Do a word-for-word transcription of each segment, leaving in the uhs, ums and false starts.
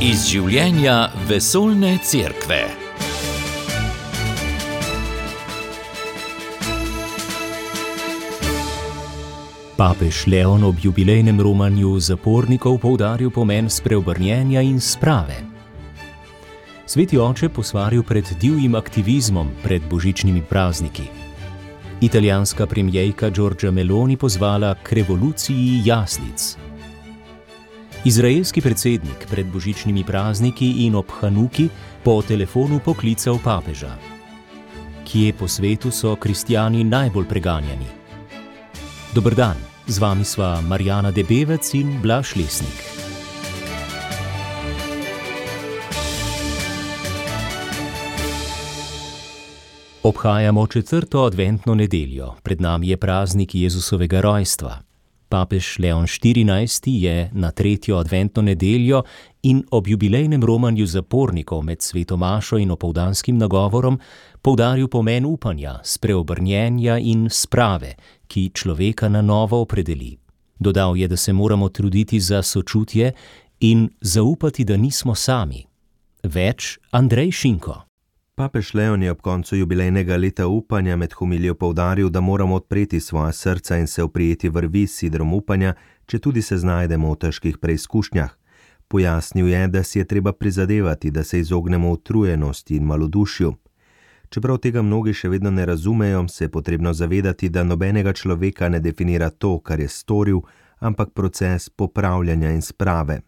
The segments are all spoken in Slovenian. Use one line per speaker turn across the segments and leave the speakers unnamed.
Iz življenja vesoljne cerkve. Papež Leon ob jubilejnem romanju zapornikov poudaril pomen spreobrnjenja in sprave. Sveti oče posvaril pred divjim aktivizmom pred božičnimi prazniki. Italijanska premijejka Giorgia Meloni pozvala k revoluciji jaslic. Izraelski predsednik pred božičnimi prazniki in ob Hanuki po telefonu poklical papeža. Kje po svetu so kristjani najbolj preganjani? Dober dan, z vami sva Marjana Debevec in Blaž Lesnik. Obhajamo četrto adventno nedeljo, pred nami je praznik Jezusovega rojstva. Papež Leon štirinajsti je na tretjo adventno nedeljo in ob jubilejnem romanju zapornikov med sveto mašo in opoldanskim nagovorom poudaril pomen upanja, spreobrnjenja in sprave, ki človeka na novo opredeli. Dodal je, da se moramo truditi za sočutje in zaupati, da nismo sami. Več Andrej Šinko.
Papež Leon je ob koncu jubilejnega leta upanja med homilijo poudaril, da moramo odpreti svoja srca in se oprijeti vrvi s sidrom upanja, če tudi se znajdemo v težkih preizkušnjah. Pojasnil je, da si je treba prizadevati, da se izognemo utrujenosti in malodušju. Čeprav tega mnogi še vedno ne razumejo, se je potrebno zavedati, da nobenega človeka ne definira to, kar je storil, ampak proces popravljanja in sprave.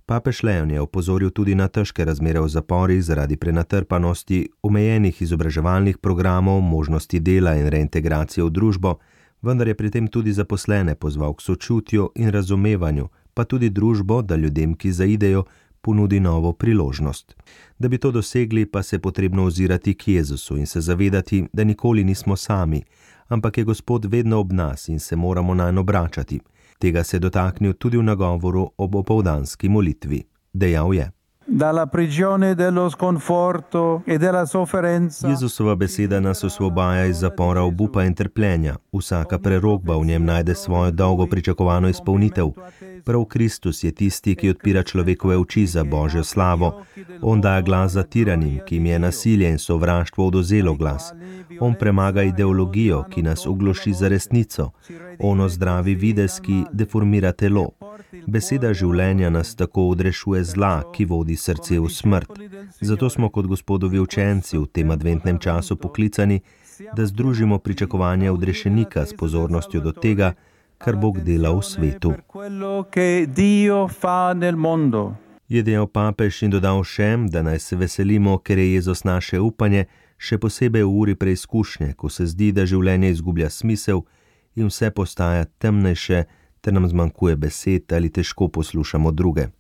Papež Leon je opozoril tudi na težke razmere v zaporih zaradi prenatrpanosti, omejenih izobraževalnih programov, možnosti dela in reintegracije v družbo, vendar je pri tem tudi zaposlene pozval k sočutju in razumevanju, pa tudi družbo, da ljudem, ki zaidejo, ponudi novo priložnost. Da bi to dosegli, pa se je potrebno ozirati k Jezusu in se zavedati, da nikoli nismo sami, ampak je Gospod vedno ob nas in se moramo nanj obračati. Tega se je dotaknil tudi v nagovoru ob opoldanski molitvi. Dejal je:
Dalla prigione dello sconforto e della sofferenza.
Jezusova beseda nas osvobaja iz zapora obupa in trpljenja. Vsaka prerokba v njem najde svojo dolgo pričakovano izpolnitev. Prav Kristus je tisti, ki odpira človekove oči za Božjo slavo. On daje glas zatiranim, ki jim je nasilje in sovraštvo odvzelo glas. On premaga ideologijo, ki nas ugloši za resnico. On ozdravi videz, ki deformira telo. Beseda življenja nas tako odrešuje zla, ki vodi srce v smrt. Zato smo kot Gospodovi učenci v tem adventnem času poklicani, da združimo pričakovanje odrešenika s pozornostjo do tega, kar Bog dela v svetu. Je dejal papež in dodal še, da naj se veselimo, ker je Jezus naše upanje, še posebej v uri preizkušnje, ko se zdi, da življenje izgublja smisel in vse postaja temnejše, ter nam zmanjkuje besed ali težko poslušamo druge.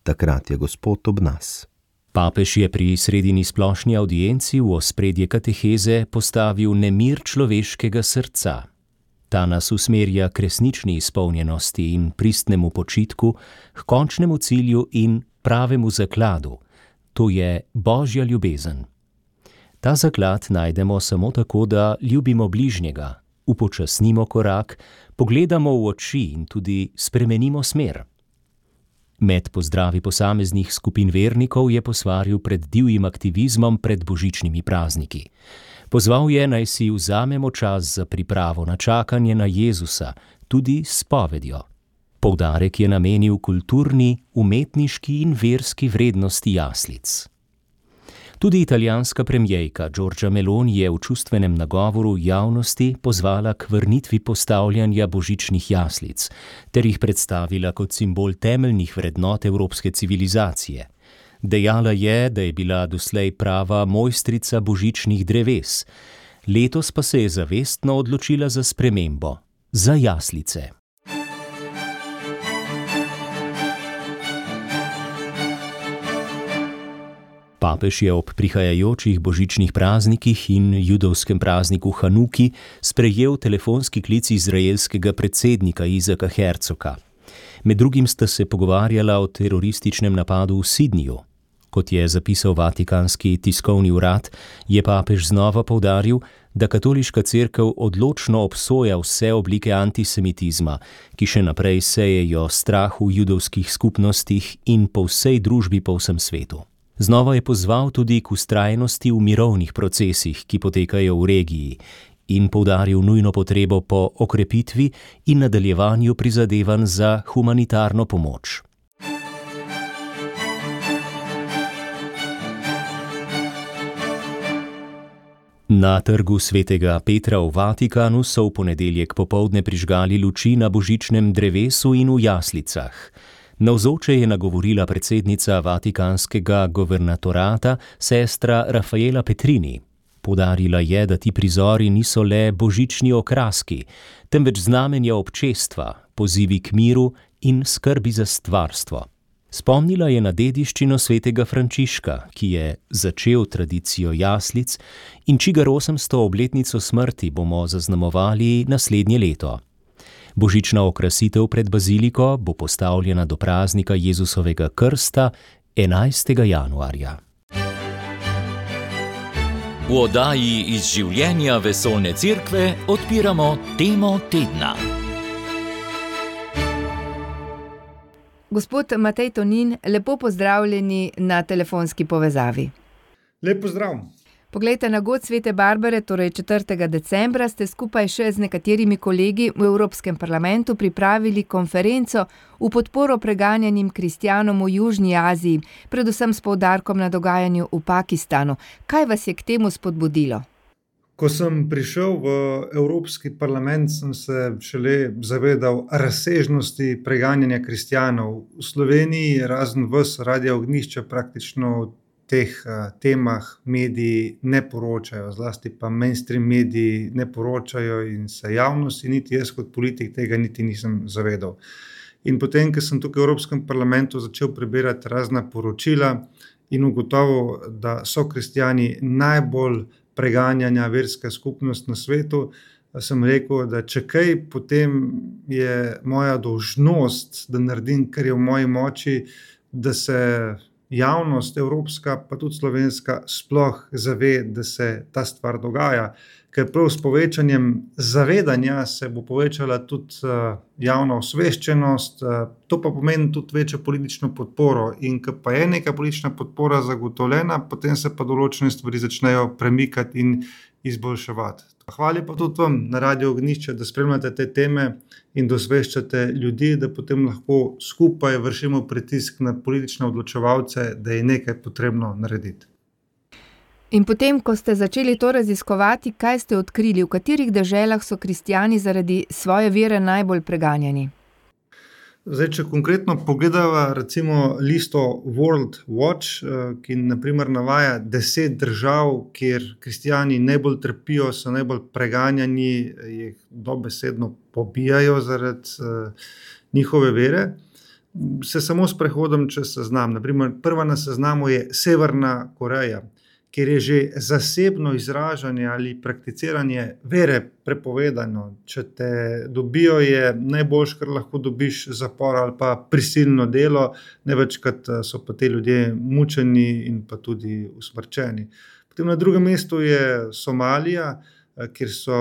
Takrat je Gospod ob nas.
Papež je pri sredini splošni avdienci v ospredje kateheze postavil nemir človeškega srca. Ta nas usmerja k resnični izpolnjenosti in pristnemu počitku, k končnemu cilju in pravemu zakladu. To je Božja ljubezen. Ta zaklad najdemo samo tako, da ljubimo bližnjega, upočasnimo korak, pogledamo v oči in tudi spremenimo smer. Med pozdravi posameznih skupin vernikov je posvaril pred divjim aktivizmom pred božičnimi prazniki. Pozval je, naj si vzamemo čas za pripravo na čakanje na Jezusa, tudi s povedjo. Poudarek je namenil kulturni, umetniški in verski vrednosti jaslic. Tudi italijanska premijejka Giorgia Meloni je v čustvenem nagovoru javnosti pozvala k vrnitvi postavljanja božičnih jaslic, ter jih predstavila kot simbol temeljnih vrednot evropske civilizacije. Dejala je, da je bila doslej prava mojstrica božičnih dreves, letos pa se je zavestno odločila za spremembo, za jaslice. Papež je ob prihajajočih božičnih praznikih in judovskem prazniku Hanuki sprejel telefonski klic izraelskega predsednika Izaka Herzoga. Med drugim sta se pogovarjala o terorističnem napadu v Sidniju. Kot je zapisal Vatikanski tiskovni urad, je papež znova poudaril, da katoliška cerkev odločno obsoja vse oblike antisemitizma, ki še naprej sejejo strah v judovskih skupnostih in po vsej družbi po vsem svetu. Znova je pozval tudi k vztrajnosti v mirovnih procesih, ki potekajo v regiji, in poudaril nujno potrebo po okrepitvi in nadaljevanju prizadevanj za humanitarno pomoč. Na trgu svetega Petra v Vatikanu so v ponedeljek popoldne prižgali luči na božičnem drevesu in v jaslicah. Navzoče je nagovorila predsednica vatikanskega governatorata, sestra Rafaela Petrini. Poudarila je, da ti prizori niso le božični okraski, temveč znamenja občestva, pozivi k miru in skrbi za stvarstvo. Spomnila je na dediščino svetega Frančiška, ki je začel tradicijo jaslic in čigar osemsto obletnico smrti bomo zaznamovali naslednje leto. Božična okrasitev pred baziliko bo postavljena do praznika Jezusovega krsta enajstega januarja.
V oddaji iz življenja vesoljne cerkve odpiramo temo tedna.
Gospod Matej Tonin, lepo pozdravljeni na telefonski povezavi.
Lep pozdrav.
Poglejte, na god Svete Barbare, torej četrtega decembra, ste skupaj še z nekaterimi kolegi v Evropskem parlamentu pripravili konferenco v podporo preganjanim kristjanom v Južni Aziji, predvsem s poudarkom na dogajanju v Pakistanu. Kaj vas je k temu spodbudilo?
Ko sem prišel v Evropski parlament, sem se šele zavedal razsežnosti preganjanja kristjanov. V Sloveniji, razen vas, Radia Ognjišče, praktično o teh temah mediji ne poročajo, zlasti pa mainstream mediji ne poročajo in se javnosti, niti jaz kot politik tega niti nisem zavedal. In potem, ko sem tukaj v Evropskem parlamentu začel prebirati razna poročila in ugotovil, da so kristjani najbolj preganjanja verska skupnost na svetu, sem rekel, da če kaj, potem je moja dolžnost, da naredim, kar je v moji moči, da se javnost evropska, pa tudi slovenska, sploh zave, da se ta stvar dogaja. Ker prav s povečanjem zavedanja se bo povečala tudi javna osveščenost, to pa pomeni tudi večjo politično podporo. In ko pa je neka politična podpora zagotovljena, potem se pa določene stvari začnejo premikati in izboljševati. Hvala pa tudi vam na Radio Ognjišče, da spremljate te teme in da osveščate ljudi, da potem lahko skupaj vršimo pritisk na politične odločevalce, da je nekaj potrebno narediti.
In potem, ko ste začeli to raziskovati, kaj ste odkrili, v katerih deželah so kristjani zaradi svoje vere najbolj preganjani?
Zdaj, če konkretno pogledava recimo listo World Watch, ki na primer navaja deset držav, kjer kristjani najbolj trpijo, so najbolj preganjani, jih dobesedno pobijajo zaradi njihove vere, se samo s prehodom čez seznam. Na primer, prva na seznamu je Severna Koreja, kjer je že zasebno izražanje ali prakticiranje vere prepovedano. Če te dobijo, je najboljše, kar lahko dobiš, zapor ali pa prisilno delo, največkrat so pa te ljudje mučeni in pa tudi usmrčeni. Potem na drugem mestu je Somalija, kjer so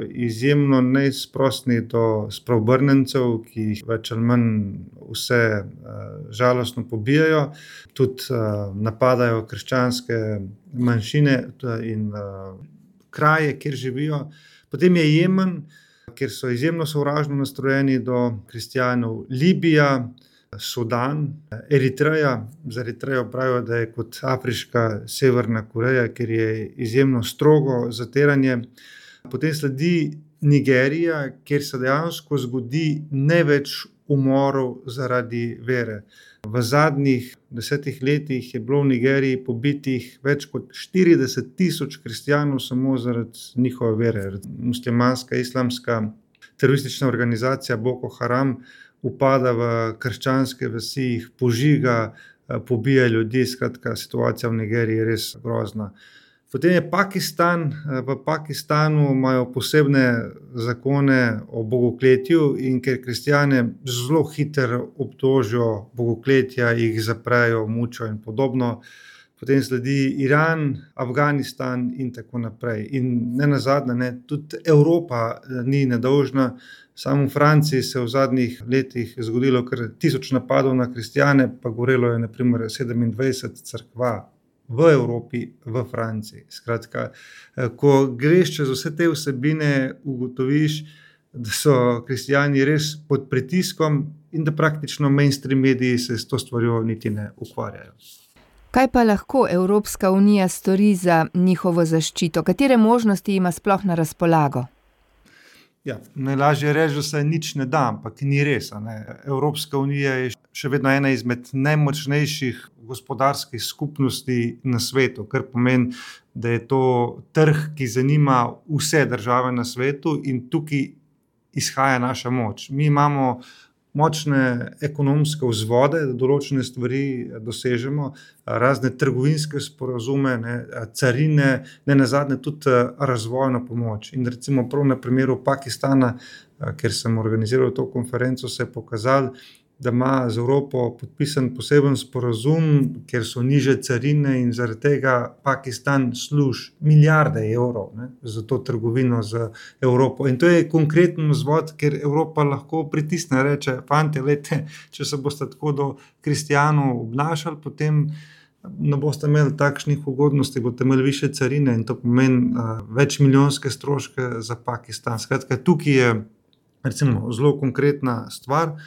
izjemno neizprostni do spreobrnencev, ki jih več ali manj vse žalostno pobijajo. Tudi napadajo krščanske manjšine in kraje, kjer živijo. Potem je Jemen, kjer so izjemno sovražno nastrojeni do kristjanov. Libija, Sudan, Eritreja. Z Eritrejo pravijo, da je kot afriška Severna Koreja, ker je izjemno strogo zatiranje. Potem sledi Nigerija, kjer se dejansko zgodi največ umorov zaradi vere. V zadnjih desetih letih je bilo v Nigeriji pobitih več kot štirideset tisoč kristjanov samo zaradi njihove vere. Muslimanska, islamska teroristična organizacija Boko Haram upada v krščanske vasi, jih požiga, pobija ljudi, skratka, situacija v Nigeriji je res grozna. Potem je Pakistan. V Pakistanu imajo posebne zakone o bogokletju in ker kristjane zelo hitro obtožijo bogokletja, jih zaprejo, mučijo in podobno. potem sledi Iran, Afganistan in tako naprej. In ne nazadnje, ne, tudi Evropa ni nedolžna. Samo v Franciji se je v zadnjih letih zgodilo kar tisoč napadov na kristjane, pa gorelo je na primer sedemindvajset cerkva v Evropi, v Franciji. Skratka, ko greš čez vse te vsebine, ugotoviš, da so kristjani res pod pritiskom in da praktično mainstream mediji se s to stvarjo niti ne ukvarjajo.
Kaj pa lahko Evropska unija stori za njihovo zaščito? Katere možnosti ima sploh na razpolago?
Ja, najlažje reči, da se nič ne da, ampak ni res. Ne? Evropska unija je še vedno ena izmed najmočnejših gospodarskih skupnosti na svetu, kar pomeni, da je to trg, ki zanima vse države na svetu in tukaj izhaja naša moč. Mi imamo močne ekonomske vzvode, da določene stvari dosežemo, razne trgovinske sporazume, ne, carine, ne nazadnje tudi razvojno pomoč. In recimo prav na primeru Pakistana, ker sem organiziral to konferenco, se je pokazalo, da ima z Evropo podpisan poseben sporazum, kjer so nižje carine in zaradi tega Pakistan služi milijarde evrov, ne, za to trgovino z Evropo. In to je konkreten vzvod, ker Evropa lahko pritisne, reče, fantje, lejte, če se boste tako do kristjanov obnašali, potem ne boste imeli takšnih ugodnosti, boste imeli više carine in to pomeni uh, več milijonske stroške za Pakistan. Skratka, tukaj je recimo zelo konkretna stvar.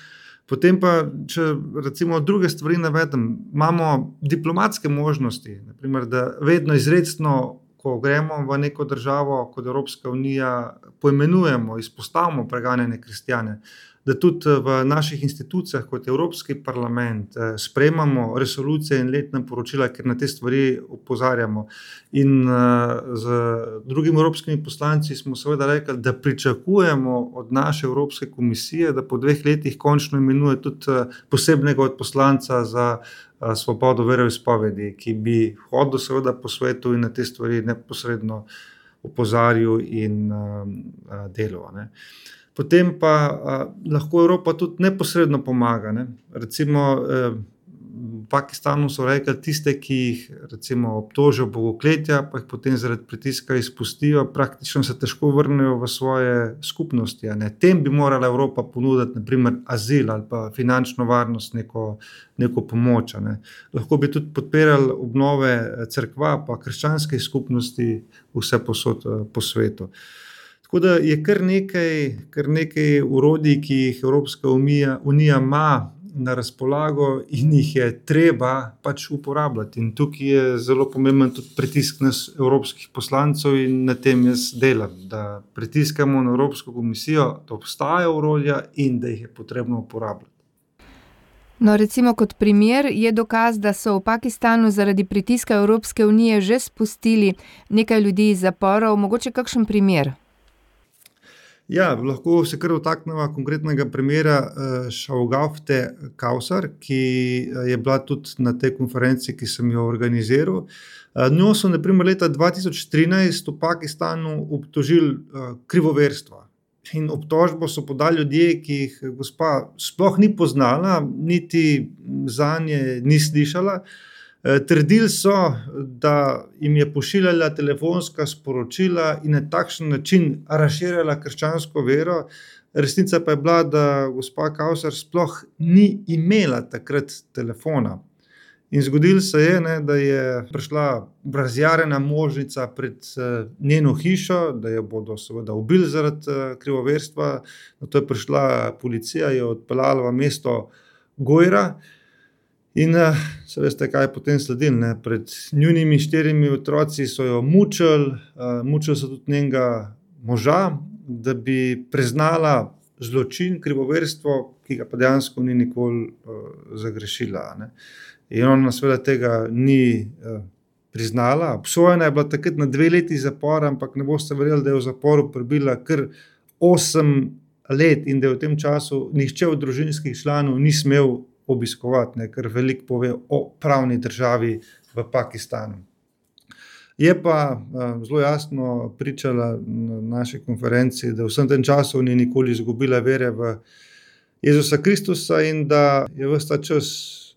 Potem pa, če recimo druge stvari navedem, imamo diplomatske možnosti, naprimer, da vedno izrecno, ko gremo v neko državo, kot Evropska unija, poimenujemo, izpostavimo preganjene kristjane, da tudi v naših institucijah, kot Evropski parlament, sprejemamo resolucije in letna poročila, ker na te stvari opozarjamo. In z drugimi evropskimi poslanci smo seveda rekli, da pričakujemo od naše Evropske komisije, da po dveh letih končno imenuje tudi posebnega odposlanca za svobodo veroizpovedi, ki bi hodil seveda po svetu in na te stvari neposredno opozarjal in delal, ne. Potem pa a, lahko Evropa tudi neposredno pomaga. Ne? Recimo eh, v Pakistanu so rekli tiste, ki jih recimo obtožijo bogokletja, pa jih potem zaradi pritiska izpustijo, praktično se težko vrnejo v svoje skupnosti. Ne? Tem bi morala Evropa ponuditi na primer azil ali pa finančno varnost, neko, neko pomoč. Ne? Lahko bi tudi podpirali obnove cerkva pa krščanske skupnosti vse posod po svetu. Tako da je kar nekaj, kar nekaj orodij, ki jih Evropska unija, unija ima na razpolago in jih je treba pač uporabljati. In tukaj je zelo pomemben tudi pritisk nas evropskih poslancev in na tem jaz delam, da pritiskamo na Evropsko komisijo, da obstajajo orodja in da jih je potrebno uporabljati.
No, recimo kot primer je dokaz, da so v Pakistanu zaradi pritiska Evropske unije že spustili nekaj ljudi iz zaporov, mogoče kakšen primer?
Ja, lahko se kar dotaknemo konkretnega primera Šavgafte Kausar, ki je bila tudi na tej konferenci, ki sem jo organiziral. Njo so na primer leta dva tisoč trinajst v Pakistanu obtožili krivoverstva. In obtožbo so podali ljudje, ki jih gospa sploh ni poznala, niti zanje ni slišala. Trdili so, da jim je pošiljala telefonska sporočila in na takšen način razširjala krščansko vero. Resnica pa je bila, da gospa Kausar sploh ni imela takrat telefona. In zgodilo se je, ne, da je prišla razjarjena možnica pred njeno hišo, da jo bodo seveda ubili zaradi krivoverstva. Nato je prišla policija, jo odpeljala v mesto Gojra. In se veste, kaj je potem sledil. Ne? Pred njunimi štirimi otroci so jo mučili, mučili so tudi njenega moža, da bi priznala zločin, krivoverstvo, ki ga pa dejansko ni nikoli uh, zagrešila. Ne? In ona seveda tega ni uh, priznala. Obsojena je bila takrat na dve leti zapora, ampak ne boste verjeli, da je v zaporu prebila kar osem let in da je v tem času nihče od družinskih članov ni smel obiskovati, ne, kar veliko pove o pravni državi v Pakistanu. Je pa uh, zelo jasno pričala na naši konferenci, da v vsem tem času ni nikoli izgubila vere v Jezusa Kristusa in da je ves ta čas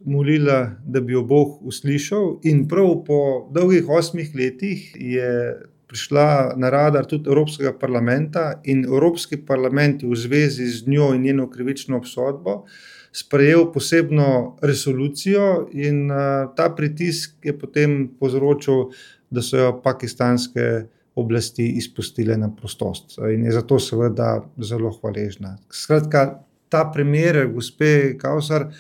molila, da bi jo Bog uslišal, in prav po dolgih osmih letih je prišla na radar tudi Evropskega parlamenta in Evropski parlament je v zvezi z njo in njeno krivično obsodbo sprejel posebno resolucijo in uh, ta pritisk je potem povzročil, da so jo pakistanske oblasti izpustile na prostost in je zato seveda zelo hvaležna. Skratka, ta primer gospe Kausar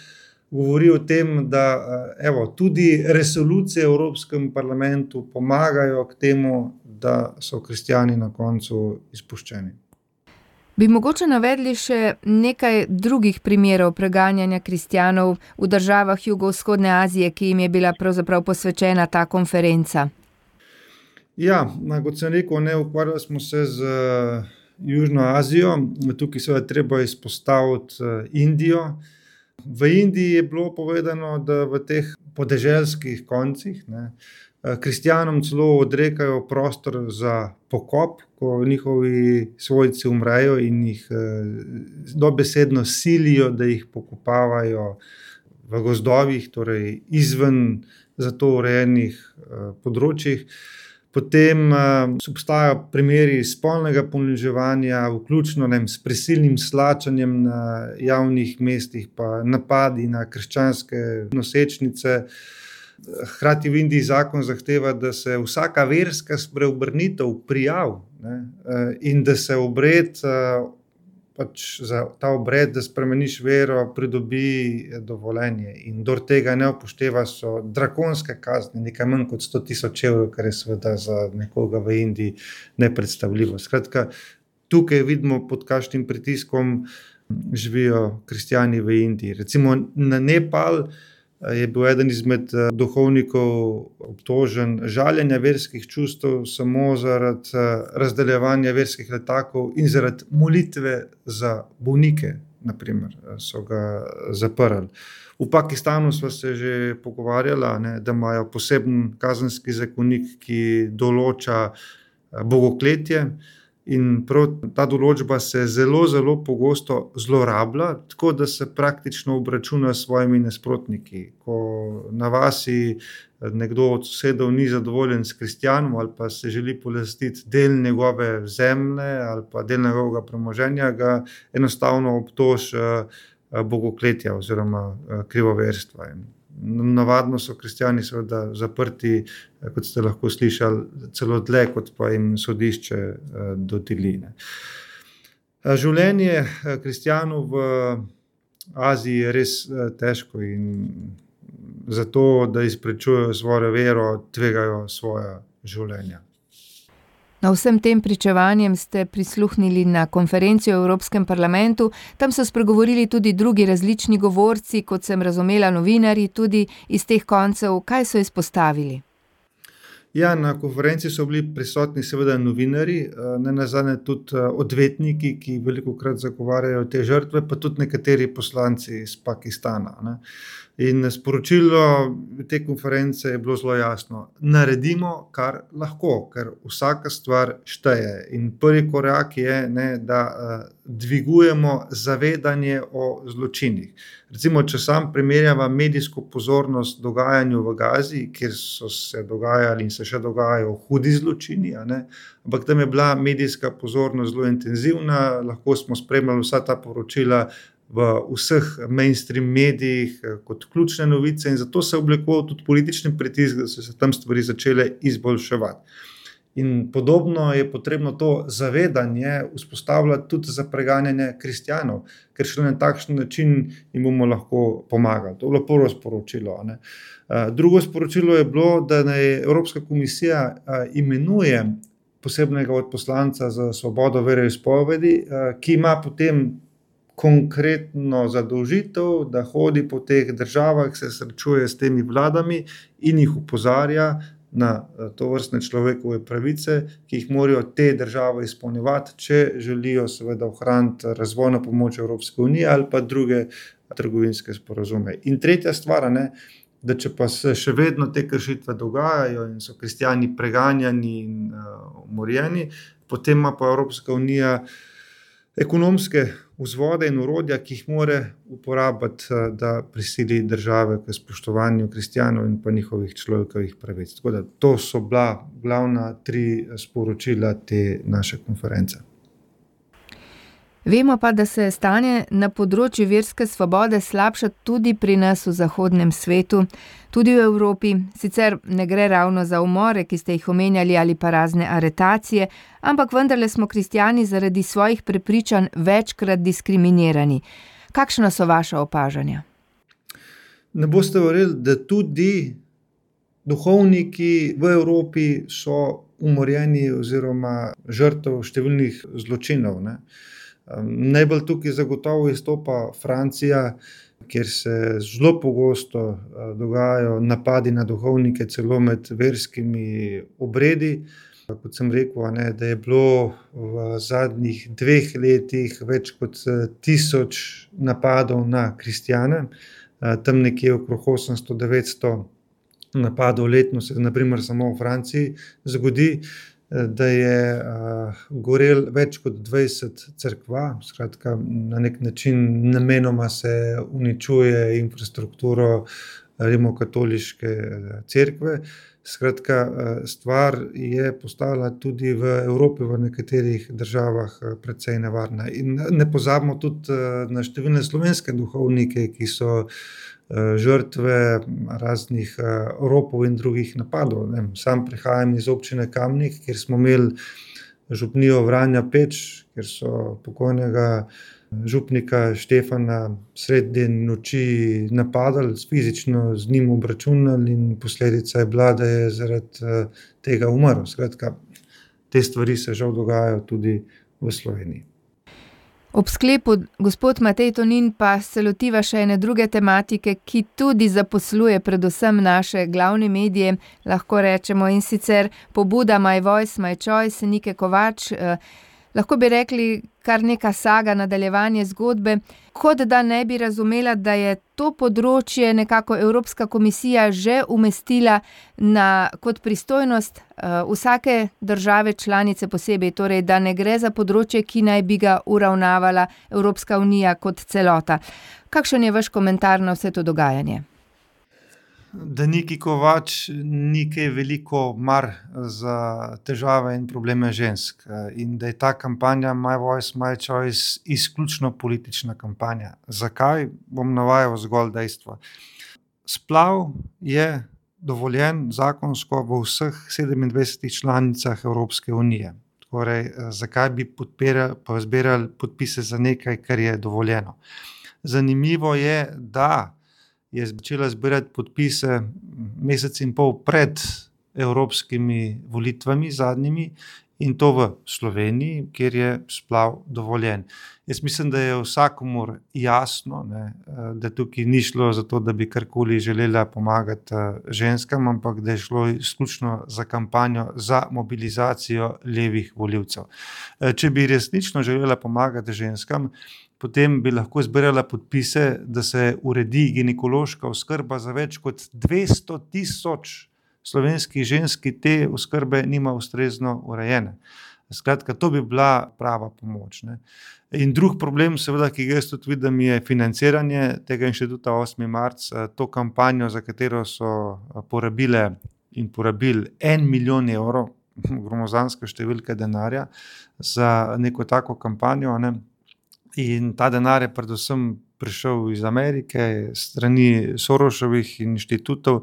govori o tem, da evo, tudi resolucije v Evropskem parlamentu pomagajo k temu, da so kristjani na koncu izpuščeni.
Bi mogoče navedli še nekaj drugih primerov preganjanja kristjanov v državah jugovzhodne Azije, ki jim je bila pravzaprav posvečena ta konferenca?
Ja, kot sem rekel, ne, ukvarjali smo se z Južno Azijo, tukaj seveda treba izpostaviti Indijo. V Indiji je bilo povedano, da v teh podeželskih koncih, ne, kristjanom celo odrekajo prostor za pokop, ko njihovi svojci umrejo in jih dobesedno silijo, da jih pokopavajo v gozdovih, torej izven za to urejenih področjih. Potem obstajajo primeri spolnega poniževanja, vključno ne, s prisilnim slačanjem na javnih mestih, pa napadi na krščanske nosečnice. Hkrati v Indiji zakon zahteva, da se vsaka verska spreobrnitev prijavi, ne, in da se obred, pač za ta obred, da spremeniš vero, pridobi dovoljenje. In kdor tega ne upošteva, so drakonske kazni, nekaj manj kot sto tisoč evrov, kar je seveda za nekoga v Indiji nepredstavljivo. Skratka, tukaj vidimo, pod kakšnim pritiskom živijo kristjani v Indiji. Recimo na Nepal je bil eden izmed duhovnikov obtožen žaljenja verskih čustev samo zaradi razdeljevanja verskih letakov in zaradi molitve za bolnike, naprimer, so ga zaprli. V Pakistanu sva se že pogovarjala, ne, da imajo poseben kazenski zakonik, ki določa bogokletje. In prav ta določba se zelo, zelo pogosto zlorablja, tako da se praktično obračuna s svojimi nasprotniki. Ko na vasi nekdo od sosedov ni zadovoljen s kristjanom ali pa se želi polastiti del njegove zemlje ali pa del njegovega premoženja, ga enostavno obtoži bogokletja oziroma krivoverstva. Navadno so kristjani seveda zaprti, kot ste lahko slišali, celo dlje, kot pa jim sodišče dodeli. Življenje kristjanov v Aziji je res težko in zato, da izpričujejo svojo vero, tvegajo svoja življenja.
Na vsem tem pričevanjem ste prisluhnili na konferenci v Evropskem parlamentu. Tam so spregovorili tudi drugi različni govorci, kot sem razumela, novinarji tudi iz teh koncev. Kaj so izpostavili?
Ja, na konferenci so bili prisotni seveda novinarji, nenazadnje tudi odvetniki, ki velikokrat zagovarjajo te žrtve, pa tudi nekateri poslanci iz Pakistana, ne. In sporočilo te konference je bilo zelo jasno. Naredimo, kar lahko, ker vsaka stvar šteje. In prvi korak je, ne, da uh, dvigujemo zavedanje o zločinih. Recimo, če sam primerjava medijsko pozornost dogajanju v Gazi, kjer so se dogajali in se še dogajajo hudi zločini, a ne, ampak tam je bila medijska pozornost zelo intenzivna, lahko smo spremljali vsa ta poročila v vseh mainstream medijih kot ključne novice in zato se je oblikoval tudi politični pritisk, da so se tam stvari začele izboljševati. In podobno je potrebno to zavedanje vzpostavljati tudi za preganjanje kristjanov, ker šele na takšen način jim bomo lahko pomagali. To je bilo prvo sporočilo, ne. Drugo sporočilo je bilo, da naj Evropska komisija imenuje posebnega odposlanca za svobodo veroizpovedi, ki ima potem konkretno zadolžitev, da hodi po teh državah, se srečuje s temi vladami in jih opozarja na tovrstne človekove pravice, ki jih morajo te države izpolnjevati, če želijo seveda ohraniti razvojno pomoč Evropske unije ali pa druge trgovinske sporazume. In tretja stvar, ne, da če pa se še vedno te kršitve dogajajo in so kristjani preganjani in uh, umorjeni, potem ima pa Evropska unija ekonomske vzvode in orodja, ki jih mora uporabiti, da prisili države k spoštovanju kristjanov in pa njihovih človekovih pravic. Tako da to so bila glavna tri sporočila te naše konference.
Vemo pa, da se stanje na področju verske svobode slabša tudi pri nas v zahodnem svetu, tudi v Evropi. Sicer ne gre ravno za umore, ki ste jih omenjali, ali pa razne aretacije, ampak vendarle smo kristjani zaradi svojih prepričanj večkrat diskriminirani. Kakšna so vaša opažanja?
Ne boste verjeli, da tudi duhovniki v Evropi so umorjeni oziroma žrtev številnih zločinov, ne. Najbolj tukaj zagotovo izstopa Francija, kjer se zelo pogosto dogajajo napadi na duhovnike celo med verskimi obredi. Kot sem rekel, ne, da je bilo v zadnjih dveh letih več kot tisoč napadov na kristjane, tam nekje okrog osemsto do devetsto napadov letno se na primer samo v Franciji zgodi, da je uh, gorel več kot dvajset cerkva, skratka na nek način namenoma se uničuje infrastrukturo rimokatoliške cerkve. Skratka, stvar je postala tudi v Evropi v nekaterih državah precej nevarna. In ne pozabimo tudi na številne slovenske duhovnike, ki so žrtve raznih ropov in drugih napadov. Sam prihajam iz občine Kamnik, kjer smo imeli župnijo Vranja Peč, kjer so pokojnega župnika Štefana sredi noči napadali, fizično z njim obračunali in posledica je bila, da je zaradi tega umrl. Skratka, te stvari se žal dogajajo tudi v Sloveniji.
Ob sklepu gospod Matej Tonin pa se lotiva še ene druge tematike, ki tudi zaposluje predvsem naše glavne medije, lahko rečemo, in sicer pobuda My Voice, My Choice, Nike Kovač. Eh, lahko bi rekli kar neka saga, nadaljevanje zgodbe, kot da ne bi razumela, da je to področje nekako Evropska komisija že umestila na, kot pristojnost uh, vsake države članice posebej, torej da ne gre za področje, ki naj bi ga uravnavala Evropska unija kot celota. Kakšen je vaš komentar na vse to dogajanje?
Da Niki Kovač ni kaj veliko mar za težave in probleme žensk in da je ta kampanja My Voice, My Choice izključno politična kampanja. Zakaj? Bom navajal zgolj dejstva. Splav je dovoljen zakonsko v vseh sedemindvajsetih članicah Evropske unije. Torej, zakaj bi podpirali, pa zbirali podpise za nekaj, kar je dovoljeno? Zanimivo je, da je začela zbirati podpise mesec in pol pred evropskimi volitvami zadnjimi in to v Sloveniji, kjer je splav dovoljen. Jaz mislim, da je vsakomur jasno, ne, da tukaj ni šlo za to, da bi karkoli želela pomagati ženskam, ampak da je šlo izključno za kampanjo za mobilizacijo levih volivcev. Če bi resnično želela pomagati ženskam, potem bi lahko zbirala podpise, da se uredi ginekološka oskrba za več kot dvesto tisoč slovenskih žensk, ki te oskrbe nima ustrezno urejene. Skratka, to bi bila prava pomoč, ne. In drug problem, seveda, ki ga jaz tudi vidim, je financiranje tega inštituta osmi marec, to kampanjo, za katero so porabile in porabili en milijon evrov, gromozanska številka denarja, za neko tako kampanjo, ne. In ta denar je predvsem prišel iz Amerike, strani Sorosovih inštitutov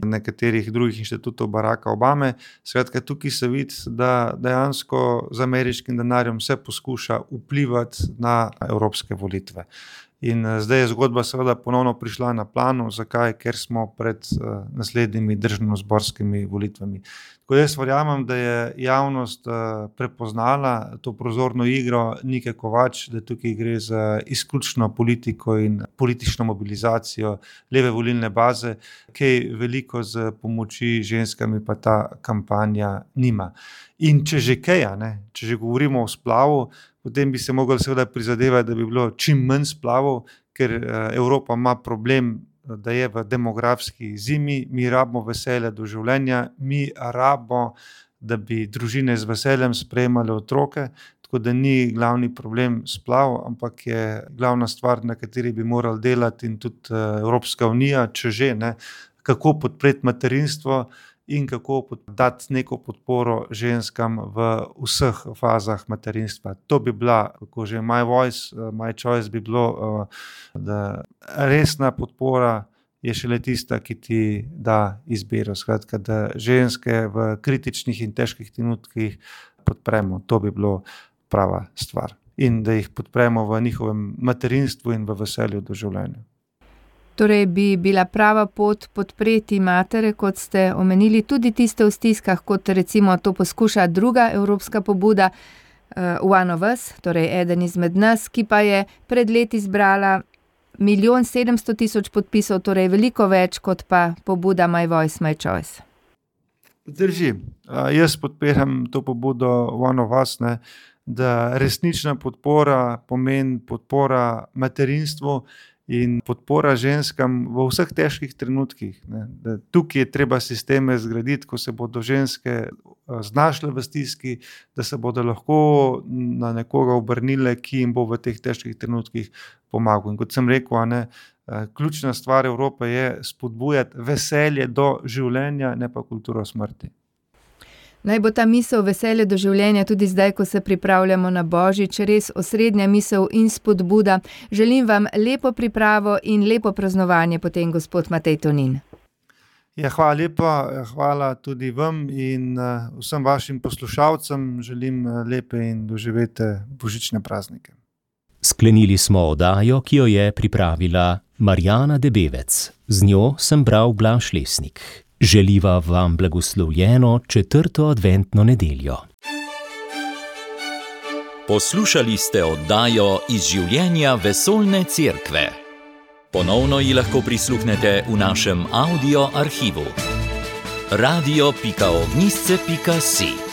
in nekaterih drugih inštitutov Baracka Obame. Skratka, tukaj se vidi, da dejansko z ameriškim denarjem se poskuša vplivati na evropske volitve. In zdaj je zgodba seveda ponovno prišla na plano. Zakaj? Ker smo pred uh, naslednjimi državnozborskimi volitvami. Tako jaz verjamem, da je javnost uh, prepoznala to prozorno igro Nike Kovač, da tukaj gre za izključno politiko in politično mobilizacijo leve volilne baze, kaj veliko z pomoči ženskami pa ta kampanja nima. In če že kaj, ne, če že govorimo o splavu, potem bi se mogli seveda prizadevati, da bi bilo čim manj splavov, ker Evropa ima problem, da je v demografski zimi, mi rabimo veselje do življenja, mi rabimo, da bi družine z veseljem sprejemale otroke, tako tako da ni glavni problem splav, ampak je glavna stvar, na kateri bi morali delati in tudi Evropska unija, če že, ne, kako podpreti materinstvo in kako dati neko podporo ženskam v vseh fazah materinstva. To bi bila, kako že, my voice, my choice bi bilo, da resna podpora je šele tista, ki ti da izbiro. Skratka, da ženske v kritičnih in težkih trenutkih podpremo. To bi bilo prava stvar. In da jih podpremo v njihovem materinstvu in v veselju do življenja.
Torej bi bila prava pot podpreti matere, kot ste omenili, tudi tiste v stiskah, kot recimo to poskuša druga evropska pobuda uh, One of Us, torej eden izmed nas, ki pa je pred leti zbrala milijon sedemsto tisoč podpisov, torej veliko več kot pa pobuda My Voice, My Choice.
Drži. Uh, jaz podpiram to pobudo One of Us, ne, da resnična podpora pomeni podpora materinstvu in podpora ženskam v vseh težkih trenutkih. Ne. Tukaj je treba sisteme zgraditi, ko se bodo ženske znašle v stiski, da se bodo lahko na nekoga obrnile, ki jim bo v teh težkih trenutkih pomagal. In kot sem rekel, ne, ključna stvar Evrope je spodbujati veselje do življenja, ne pa kulturo smrti.
Naj bo ta misel veselje do življenja tudi zdaj, ko se pripravljamo na Božič, res osrednja misel in spodbuda. Želim vam lepo pripravo in lepo praznovanje potem, gospod Matej Tonin.
Ja, hvala lepa, hvala tudi vam in uh, vsem vašim poslušalcem želim lepe in doživete božične praznike.
Sklenili smo oddajo, ki jo je pripravila Marjana Debevec. Z njo sem bral Blaž Lesnik. Želiva vam blagoslovljeno četrto adventno nedeljo.
Poslušali ste oddajo Iz življenja vesoljne cerkve. Ponovno ji lahko prisluhnete v našem audio arhivu. radio pika ognjišče pika si